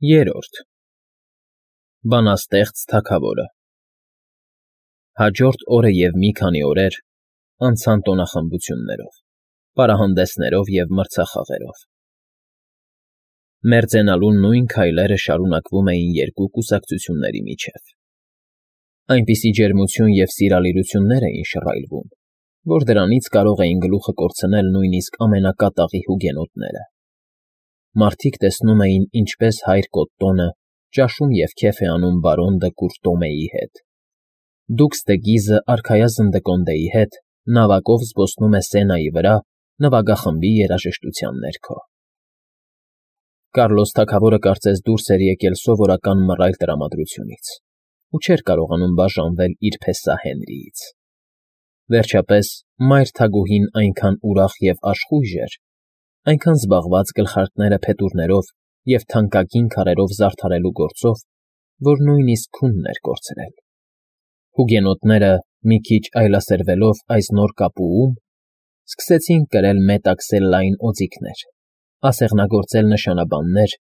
Երրորդ Բանաստեղծ թագավորը Հաջորդ օրը և մի քանի օրեր անցան տոնախմբություններով, պարահանդեսներով և մրցախաղերով։ Մերձենալու նույն քայլերը շարունակվում էին երկու կուսակցությունների միջև։ Այնպիսի ջերմություն և սիրալիրություններ էին շռայլվում, որ դրանից կարող էին գլուխը կորցնել նույնիսկ ամենակատաղի հուգենոտները։ Մարդիկ տեսնում էին, ինչպես հայր Կոտտոնը ճաշում և քեֆ է անում բարոն դը Կուրտոմեի հետ։ Դուքս դը Գիզը արքայազն դը Կոնդեի հետ նավակով զբոսնում է Սենայի վրա նվագախմբի երաժշտության ներքո։ Կառլոս թագավորը կարծես դուրս էր եկել սովորական մռայլ տրամադրությունից ու չէր կարողանում բաժանվել իր փեսա Հենրիից։ Վերջապես, մայր թագուհին այնքան ուրախ և աշխույժ էր, այնքան զբաղված գլխարկները փետուրներով և թանկագին քարերով զարդարելու գործով, որ նույնիսկ քունն էր կորցրել։ Հուգենոտները, մի քիչ այլասերվելով այս նոր կապուում, սկսեցին կրել մետաքսելլային օձիքներ, ասեղնագործել նշանաբաններ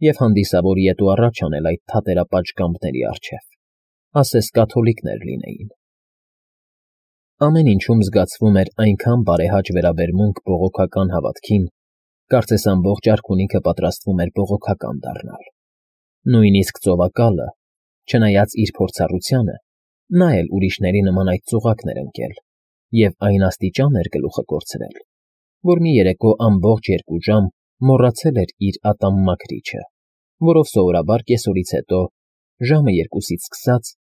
և հանդիսավոր ետ ու առաջ անել այդ թատերապաճկամբների առջև, ասես կաթոլիկներ լինեին։ Ամեն ինչում զգացվում էր այնքան բարեհաճ վերաբերմունք բողոքական հավատքին, կարծես ամբողջ արքունիքը պատրաստվում էր բողոքական դառնալ։ Նույնիսկ ծովակալը, չնայած իր փորձառությանը, նա էլ ուրիշների նման այդ ծուղակն էր ընկել և այն աստիճան էր գլուխը կորցրել, որ մի երեկո ամբողջ 2 ժամ մոռացել էր իր ատամմաքրիչը, որով սովորաբար կեսօրից հետո, ժամը 2-ից սկսած,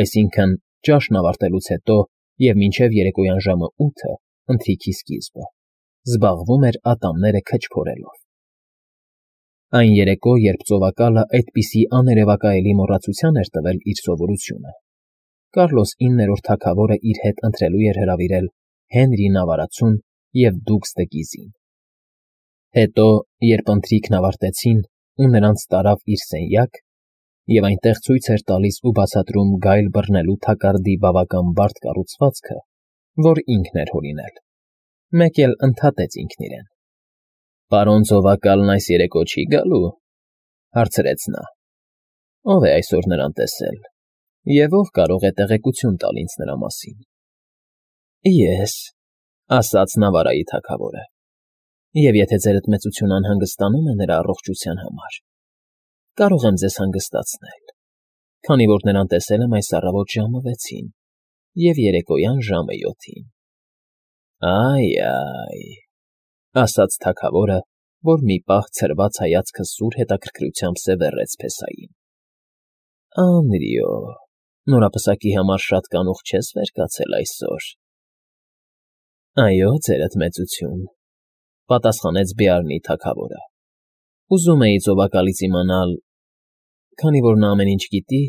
այսինքն ճաշն ավարտելուց հետո և մինչև երեկոյան ժամը 8-ը, ընթրիքի սկիզբը, զբաղվում էր ատամները քչփորելով։ Այն երեկո, երբ ծովակալը այդպիսի աներևակայելի մոռացության էր տվել իր սովորությունը, Կառլոս 9-րդ թագավորը իր հետ ընթրելու էր հրավիրել Հենրի Նավարացուն և Դուքս դը Գիզին։ Հետո, երբ ընթրիքն ավարտեցին ու նրանց տարավ իր սենյակ, և այնտեղ ցույց էր տալիս ու բացատրում գայլ բռնելու թակարդի բավական բարդ կառուցվածքը, որ ինքն էր հորինել, մեկ էլ ընդհատեց ինքն իրեն։ «Պարոն ծովակալն այս երեկո չի գալու,֊ հարցրեց նա։֊ Ո՞վ է այսօր նրան տեսել և ով կարող է տեղեկություն տալ ինձ նրա մասին»։ «Ես,֊ ասաց Նավարայի թագավորը,֊ և եթե ձերդ մեծությունը անհանգստանում է նրա առողջության համար, կարող եմ ձեզ հանգստացնել, քանի որ նրան տեսել եմ այս առավոտ ժամը 6-ին և երեկոյան ժամը 7-ին»։ «Այ,» ասաց թագավորը, որ մի պահ ցրված հայացքը սուր հետաքրքրությամբ սևեռեց փեսային։ «Անրիո, նորապսակի համար շատ կանուխ չես վեր կացել այսօր»։ «Այո, ձերդ մեծություն,֊ պատասխանեց Բեարնի թագավորը։֊ Ուզում էի ծովակալից իմանալ, քանի որ նա ամեն ինչ գիտի,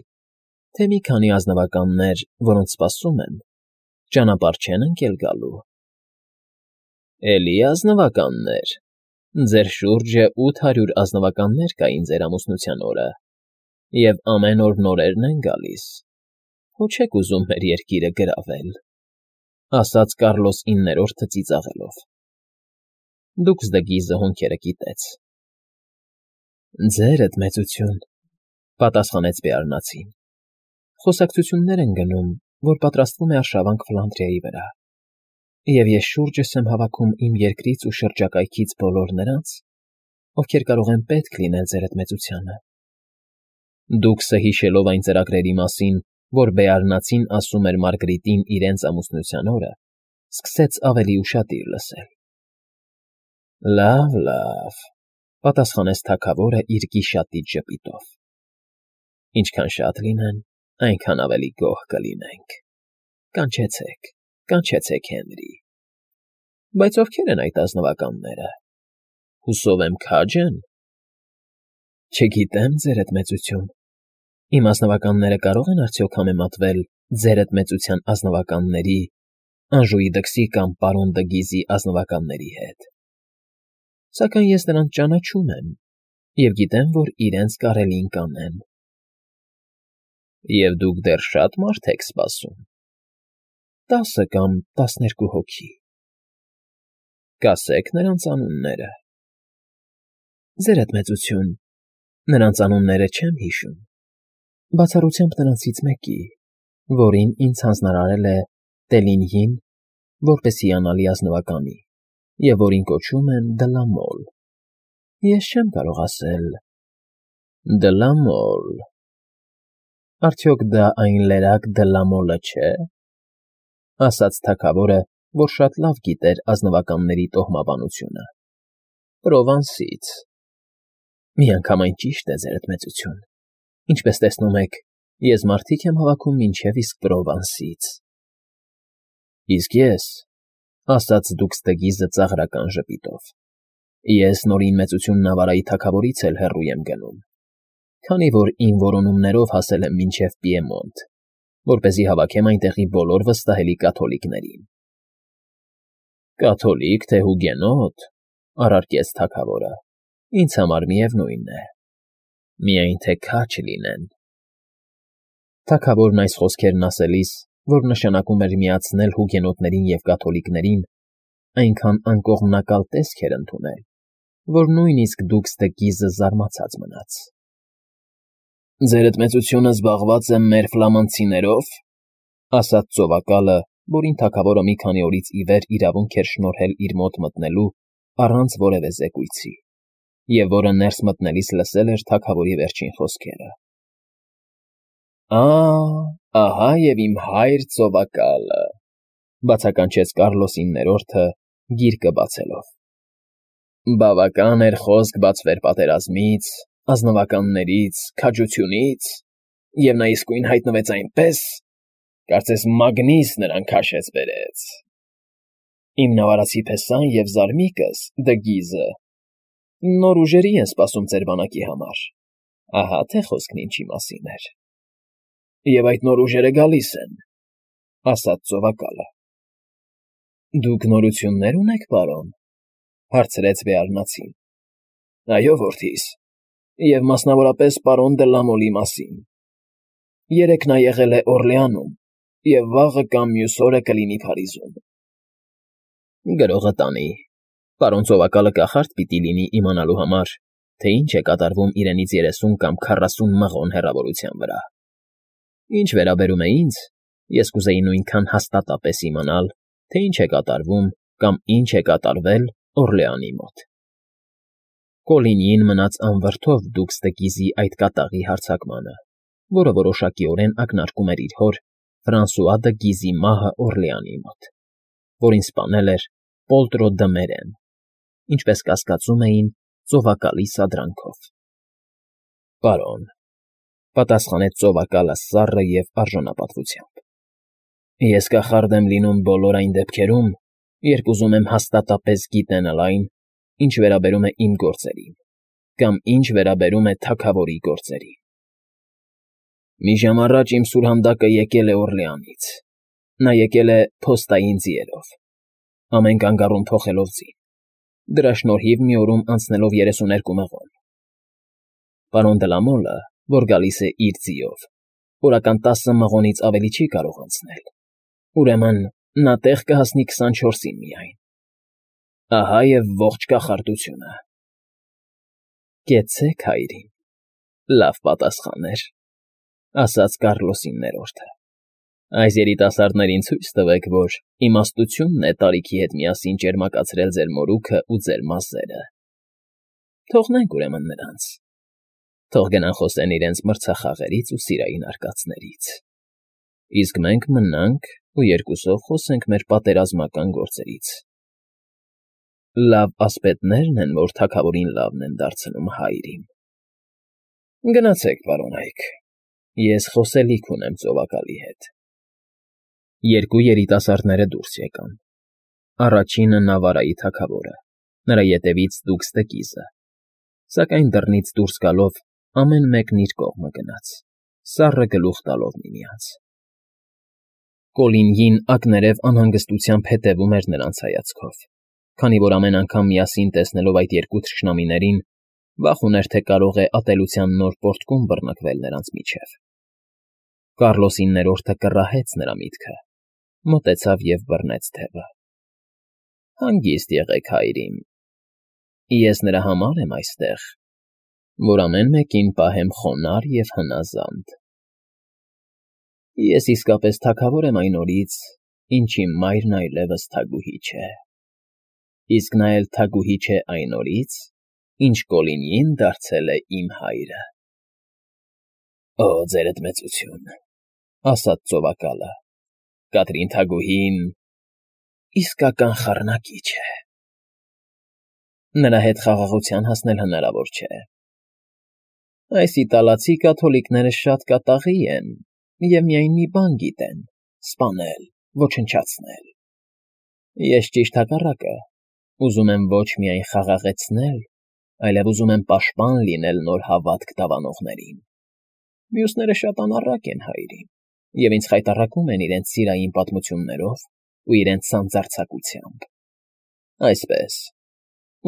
թե մի քանի ազնվականներ, որոնց սպասում եմ, ճանապարհ չեն ընկել գալու»։ «Էլի ազնվականներ… Ձեր շուրջը 800 ազնվականներ կային ձեր ամուսնության օրը, և ամեն օր նորերն են գալիս, հո չեք ուզում մեր երկիրը գրավել,֊ ասաց Կառլոս 9-րդը ծիծաղելով։ Դուքս դը Գիզը հոնքերը կիտեց։ «Ձերդ մեծություն,֊ պատասխանեց Բեարնացին,֊ խոսակցություններ են գնում, որ պատրաստվում է արշավանք Ֆլանդրիայի վրա, և ես շուրջս եմ հավաքում իմ երկրից ու շրջակայքից բոլոր նրանց, ովքեր կարող են պետք լինել ձերդ մեծությանը»։ Դուքսը, հիշելով այն ծրագրերի մասին, որ Բեարնացին ասում էր Մարգրիտին իրենց ամուսնության օրը, սկսեց ավելի ուշադիր լսել։ «Լավ, լավ,֊ պատասխանեց թագավորը իր գիշատիչ ժպիտով,֊ ինչքան շատ լինեն, այնքան ավելի գոհ կլինենք։ Կանչեցեք, կանչեցեք Հենրի։ Բայց ովքեր են այդ ազնվականները, հուսով եմ քա՞ջ են»։ «Չգիտեմ, ձերդ մեծություն, իմ ազնվականները կարող են արդյոք համեմատվել ձերդ մեծության ազնվականների, Անժուի դքսի կամ պարոն դը Գիզի ազնվականների հետ, սակայն ես նրանց ճանաչում եմ և գիտեմ, որ իրենց կարելին կանեմ»։ «Եվ դուք դեռ շատ մարդ եք սպասում»։ 10 կամ 12 հոգի։ «Կասեք նրանց անունները»։ «Ձերդ մեծություն, Նրանց անունները չեմ հիշում, բացառությամբ նրանցից մեկի, որին ինձ հանձնարարել է Տելինյին, որպես հիանալի ազնվականի, և որին կոչում են Դլամոլ։ Ես չեմ կարող ասել. Դլամոլ… Արդյոք դա այն լերակ Դլամոլը չէ՞, ասաց թագավորը, որ շատ լավ գիտեր ազնվականների տոհմաբանությունը։ Պրովանսից… Միանգամայն ճիշտ է, ձերդ մեծություն, ինչպես տեսնում եք, ես մարդիկ եմ հավաքում մինչև իսկ Պրովանսից։ Իսկ ես, ասաց Դուքստեգիզը ծաղրական ժպիտով, ես նորին մեծություն Նավարայի թագավորից էլ հեռու եմ գնում, քանի որ իմ որոնումներով հասել եմ մինչև Պիեմոնտ, որպեսզի հավաքեմ այնտեղի բոլոր վստահելի կաթոլիկներին։ Կաթոլիկ, թե հուգենոտ, առարկեց թագավորը, ինձ համար միևնույն է, միայն թե քաջ լինեն։ Թագավորն այս խոսքերն ասելիս, որ նշանակում էր միացնել հուգենոտներին և կաթոլիկներին, այնքան անկողմնակալ տեսք էր ընդունել, որ նույնիսկ Դուքստեգիզը զարմացած մնաց։ Ձերդ մեծությունը զբաղված է մեր ֆլամանդցիներով, ասաց ծովակալը, որին թագավորը մի քանի օրից ի վեր իրավունք էր շնորհել իր մոտ մտնելու առանց որևէ զեկույցի, և որը ներս մտնելիս լսել էր թագավորի վերջին խոսքերը։ Ահա և իմ հայր ծովակալը, բացականչեց Կառլոս IX-ը գիրկը բացելով։ Բավական էր խոսք բացվեր պատերազմից, ազնվականներից, քաջությունից, և նա իսկույն հայտնվեց այնպես, կարծես մագնիս նրան քաշեց բերեց։ Իմ նավարացի փեսան և զարմիկս, Դգիզը, նոր ուժերի են սպասում ձեր բանակի համար, ահա թե խոսքն ինչի մասին էր։ Եվ այդ նոր ուժերը գալիս են, ասաց ծովակալը։ Դուք նորություններ ունեք, պարոն, հարցրեց Բեարնացին։ Այո, որդիս, և մասնավորապես պարոն Դլամոլի մասին։ Երեկ նա եղել է Օրլեանում, և վաղը կամ մյուս օրը կլինի Փարիզում։ Գրողը տանի, պարոն ծովակալը կախարդ պիտի լինի իմանալու համար, թե ինչ է կատարվում իրենից 30 կամ 40 մղոն հեռավորության վրա։ Ինչ վերաբերում է ինձ, ես կուզեի նույնքան հաստատապես իմանալ, թե ինչ է կատարվում կամ ինչ է կատարվել Օրլեանի մոտ։ Կոլինյին մնաց անվրդով Դուքստեգիզի այդ կատաղի հարձակմանը, որը որոշակիորեն ակնարկում էր իր հոր Ֆրանսուଆ դը Գիզի մահը Օրլեանի մոտ, որին սպանել էր Պոլտրո դը Մերեն, ինչպես կասկածում էին ծովակալի սադրանքով։ Պարոն, պատասխանեց ծովակալը սառը և արժանապատվությամբ։ Ես կախարդ եմ լինում բոլոր այն դեպքերում, երբ ուզում եմ հաստատապես գիտենալ այն, ինչ վերաբերում է իմ գործերին, կամ ինչ վերաբերում է թագավորի գործերին։ Մի ժամ առաջ իմ սուրհանդակը եկել է Օրլեանից։ Նա եկել է փոստային ձիերով, ամեն կանգառում փոխելով ձին, դրա շնորհիվ մի օրում անցնելով 32 մղոն։ Պարոն Դլամոլը, որ գալիս է իր ձիով, օրական 10 մղոնից ավելի չի կարող անցնել, ուրեմն նա տեղ կհասնի 24-ին միայն։ Ահա և ողջ կախարդությունը։ Կեցցեք, հայրին, լավ պատասխան էր, ասաց Կառլոս IX-ը։ Այս երիտասարդներին ցույց տվեք, որ իմաստությունն է տարիքի հետ միասին ճերմակացրել ձեր մորուքը ու ձեր մազերը։ Թողնենք ուրեմն նրանց։ Թող գնան խոսեն իրենց մրցախաղերից ու սիրային արկածներից։ Իսկ մենք մնանք ու երկուսով խոսենք մեր պատերազմական գործերից։ Լավ ասպետներն են, որ թագավորին լավն են դարձնում, հայրին։ Գնացեք, պարոն Այք, ես խոսելիք ունեմ ծովակալի հետ։ Երկու երիտասարդները դուրս եկան։ Առաջինը Նավարայի թագավորը, նրա ետևից Դուքստեգիզը, սակայն դռնից դուրս գալով ամեն մեկն իր կողմը գնաց, սառը գլուխ տալով միմյանց։ Կոլինյին ակներև անհանգստությամբ հետևում էր նրանց հայացքով, քանի որ ամեն անգամ միասին տեսնելով այդ երկու թշնամիներին, վախ ուներ, թե կարող է ատելության նոր պոռթկում բռնկվել նրանց միջև։ Կառլոս IX-ը կռահեց նրա միտքը, մոտեցավ և բռնեց թևը։ Հանգիստ եղեք, հայրին։ Ես նրա համար եմ այստեղ, որ ամեն մեկին պահեմ խոնարհ և հնազանդ։ Ես իսկապես թագավոր եմ այն օրից, ինչ իմ մայրն այլևս թագուհի չէ, իսկ նա էլ թագուհի չէ այն օրից, ինչ Կոլինին դարձել է իմ հայրը։ Ո, ձերդ մեծություն, ասաց ծովակալը, Կատրին թագուհին իսկական խառնակիչ է։ Նրա հետ խաղաղության հասնել հնարավոր չէ։ Այս իտալացի կաթոլիկները շատ կատաղի են և միայն մի բան գիտեն՝ սպանել, ոչնչացնել։ Ես ճիշտ հակառակը, ուզում եմ ոչ միայն խաղաղեցնել, այլև ուզում եմ պաշտպան լինել նոր հավատք դավանողներին։ Մյուսները շատ անառակ են, հայրիկ, և ինձ խայտառակում են իրենց սիրային պատմություններով ու իրենց սանձարձակությամբ։ Այսպես,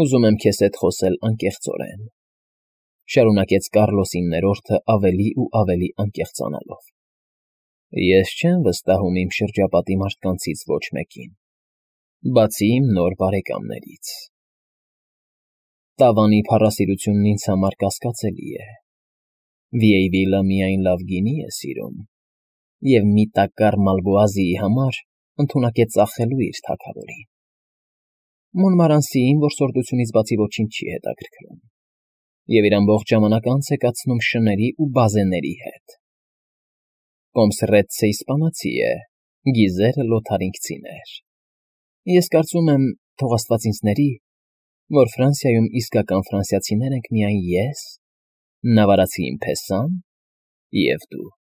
ուզում եմ քեզ հետ խոսել անկեղծորեն, շարունակեց Կառլոսի 9-րդը ավելի ու ավելի անկեղծանալով։ Ես չեմ վստահում իմ շրջապատի մարդկանցից ոչ մեկին, բացի իմ նոր բարեկամներից։ Տավանի փառասիրությունն ինձ համար կասկածելի է։ Վիեյվիլը միայն լավ գինի է սիրում և մի տակառ Մալվոազիի համար ընդունակ է ծախելու իր թագավորին։ Մոնմարանսիին որսորդությունից բացի ոչինչ չի հետաքրքրում, և իր ամբողջ ժամանակը անց է կացնում շների ու բազեների հետ։ Կոմսրեցցը իսպանացի է, գիզերը լոթարինգցիներ։ Ես կարծում եմ, թող աստված ինձ ների, որ Ֆրանսիայում իսկական ֆրանսիացիներ ենք միայն ես, նավարացի իմ փեսան և դու։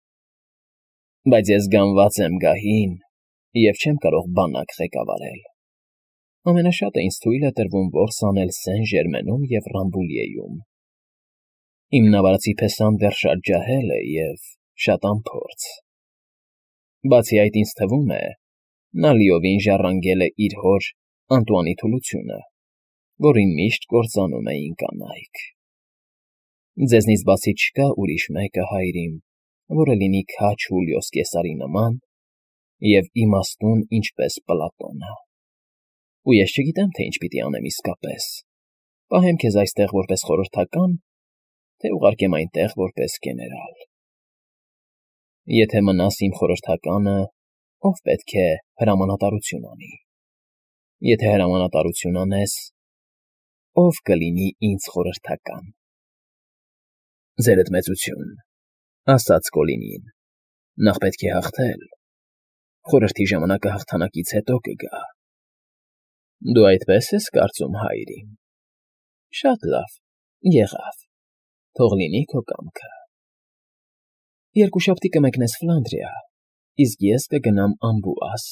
Բայց ես գանված եմ գահին և չեմ կարող բանակ ղեկավարել։ Ամենաշատը ինձ թույլ է տրվում որս անել Սեն֊Ժերմենում և Ռամբուլիեում։ Իմ նավարացի փեսան դեռ շատ ջահել է և շատ անփորձ։ Բացի այդ, ինձ թվում է, նա լիովին ժառանգել է իր հոր Անտուանի թուլությունը, որին միշտ կործանում էին կանայք։ Ձեզնից բացի չկա ուրիշ մեկը, հայրիկ, որը լինի քաջ Հուլիոս Կեսարի նման և իմաստուն ինչպես Պլատոնը։ Ու ես չգիտեմ, թե ինչ պիտի անեմ իսկապես. պահեմ քեզ այստեղ որպես խորհրդական, թե ուղարկեմ այնտեղ որպես գեներալ։ Եթե մնաս իմ խորհրդականը, ով պետք է հրամանատարություն անի։ Եթե հրամանատարություն անես, ով կլինի ինձ խորհրդական։ Ձերդ մեծություն, ասաց Կոլինին, նախ պետք է հաղթել, խորհրդի ժամանակը հաղթանակից հետո կգա։ Դու այդպես ես կարծում, հայրիկ։ Շատ լավ, եղավ, թող լինի քո կամքը։ Երկուշաբթի կմեկնես Ֆլանդրիա, իսկ ես կգնամ Ամբուաս,